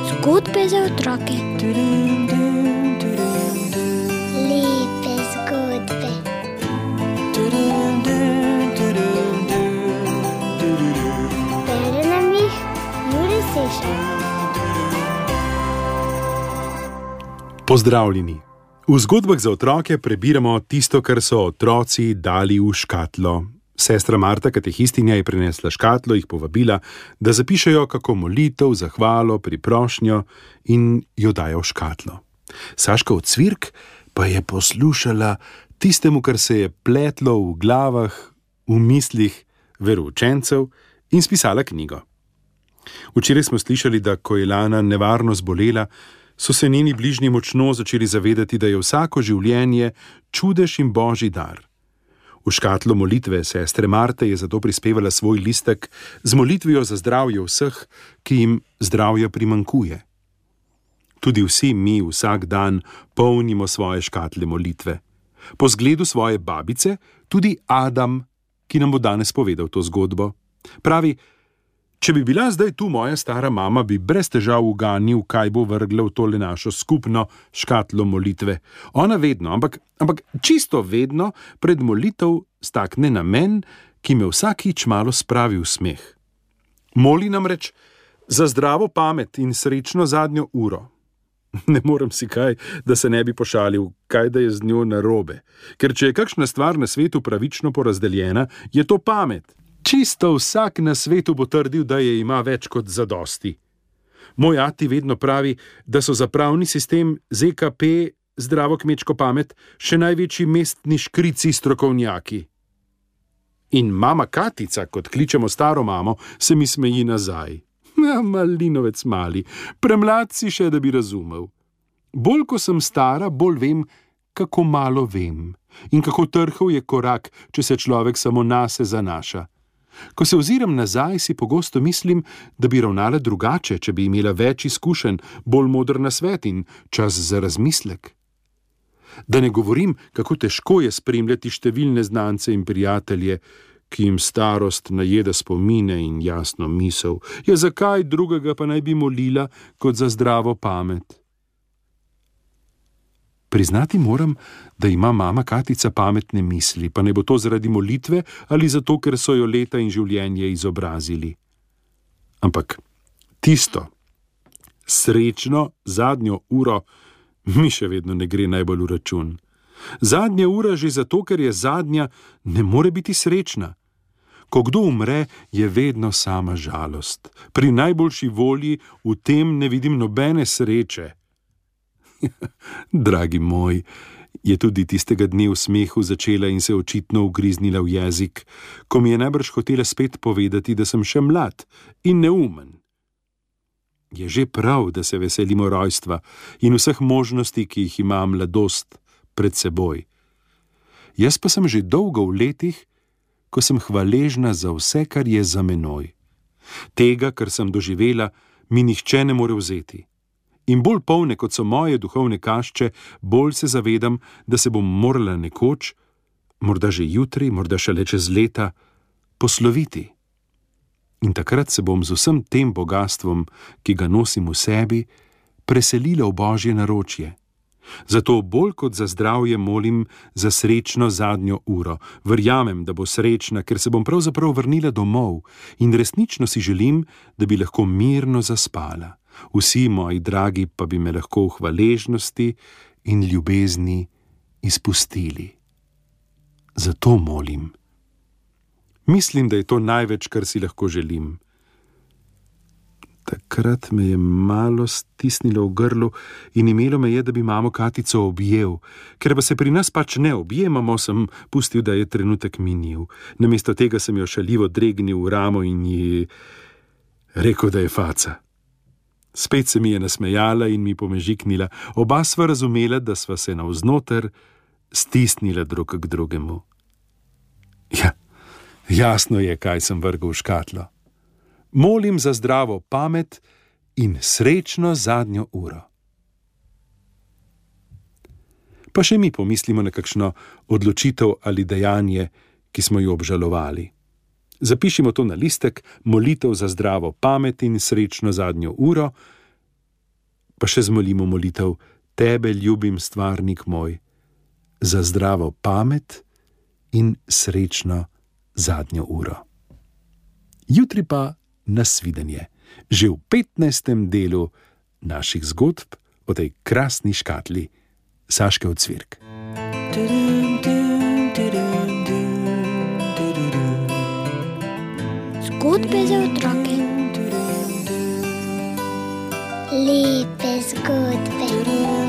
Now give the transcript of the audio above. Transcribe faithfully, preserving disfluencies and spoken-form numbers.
Zgodbe za otroke. Lepe zgodbe. Bere nam jih Jure Sešar. Pozdravljeni. V zgodbah za otroke prebiramo tisto, kar so otroci dali v škatlo. Sestra Marta, katehistinja, je prinesla škatlo, jih povabila, da zapišejo kako molitev, zahvalo, priprošnjo in jo dajo v škatlo. Saška Ocvirk pa je poslušala tistemu, kar se je pletlo v glavah, v mislih veroučencev in spisala knjigo. Včeraj smo slišali, da ko je Lana nevarno zbolela, so se njeni bližnji močno začeli zavedati, da je vsako življenje čudež in božji dar. V škatlo molitve sestre Marte je zato prispevala svoj listek z molitvijo za zdravje vseh, ki jim zdravja primankuje. Tudi vsi mi vsak dan polnimo svoje škatle molitve. Po zgledu svoje babice, tudi Adam, ki nam bo danes povedal to zgodbo. Pravi: če bi bila zdaj tu moja stara mama, bi brez težav uganil, kaj bo vrgla v tole našo skupno škatlo molitve. Ona vedno, ampak, ampak čisto vedno pred molitev stakne namen, ki me vsakič malo spravi v smeh. Moli namreč za zdravo pamet in srečno zadnjo uro. Ne morem si kaj, da se ne bi pošalil, kaj da je z njo narobe. Ker če je kakšna stvar na svetu pravično porazdeljena, je to pamet. Čisto vsak na svetu bo trdil, da je ima več kot zadosti. Moj ati vedno pravi, da so za pravni sistem Z K P, zdravo kmečko pamet, še največji mestni škrici strokovnjaki. In mama Katica, kot kličemo staro mamo, se mi smeji nazaj. Ja, malinovec mali, premlad si še, da bi razumel. Bolj ko sem stara, bolj vem, kako malo vem. In kako trhel je korak, če se človek samo nase zanaša. Ko se oziram nazaj, si pogosto mislim, da bi ravnala drugače, če bi imela več izkušenj, bolj moder nasvet in čas za razmislek. Da ne govorim, kako težko je spremljati številne znance in prijatelje, ki jim starost najeda spomine in jasno misel. Ja, zakaj drugega pa naj bi molila kot za zdravo pamet? Priznati moram, da ima mama Katica pametne misli, pa ne bo to zaradi molitve ali zato, ker so jo leta in življenje izobrazili. Ampak tisto, srečno zadnjo uro, mi še vedno ne gre najbolj v račun. Zadnja ura že zato, ker je zadnja, ne more biti srečna. Ko kdo umre, je vedno sama žalost. Pri najboljši volji v tem ne vidim nobene sreče. Dragi moj, je tudi tistega dne v smehu začela in se očitno ugriznila v jezik, ko mi je najbrž hotela spet povedati, da sem še mlad in neumen. Je že prav, da se veselimo rojstva in vseh možnosti, ki jih ima mladost pred seboj. Jaz pa sem že dolgo v letih, ko sem hvaležna za vse, kar je za menoj. Tega, kar sem doživela, mi nihče ne more vzeti. In bolj polne, kot so moje duhovne kašče, bolj se zavedam, da se bom morala nekoč, morda že jutri, morda šele čez leta, posloviti. In takrat se bom z vsem tem bogastvom, ki ga nosim v sebi, preselila v božje naročje. Zato bolj kot za zdravje molim za srečno zadnjo uro. Verjamem, da bo srečna, ker se bom pravzaprav vrnila domov in resnično si želim, da bi lahko mirno zaspala. Vsi moji dragi pa bi me lahko v hvaležnosti in ljubezni izpustili. Zato molim. Mislim, da je to največ, kar si lahko želim. Takrat me je malo stisnilo v grlu in imelo me je, da bi mamo Katico objel. Ker pa se pri nas pač ne objemamo, sem pustil, da je trenutek minil. Namesto tega sem jo šaljivo dregnil v ramo in ji rekel, da je faca. Spet se mi je nasmejala in mi pomežiknila. Oba sva razumela, da sva se navznoter stisnila drug k drugemu. Ja, jasno je, kaj sem vrgel v škatlo. Molim za zdravo pamet in srečno zadnjo uro. Pa še mi pomislimo na kakšno odločitev ali dejanje, ki smo jo obžalovali. Zapišimo to na listek, molitev za zdravo pamet in srečno zadnjo uro, pa še zmolimo molitev: Tebe ljubim, stvarnik moj, za zdravo pamet in srečno zadnjo uro. Jutri pa nasvidenje, že v petnajstem delu naših zgodb o tej krasni škatli Saške Ocvirk. Zgodbe za otroke. Lepe zgodbe.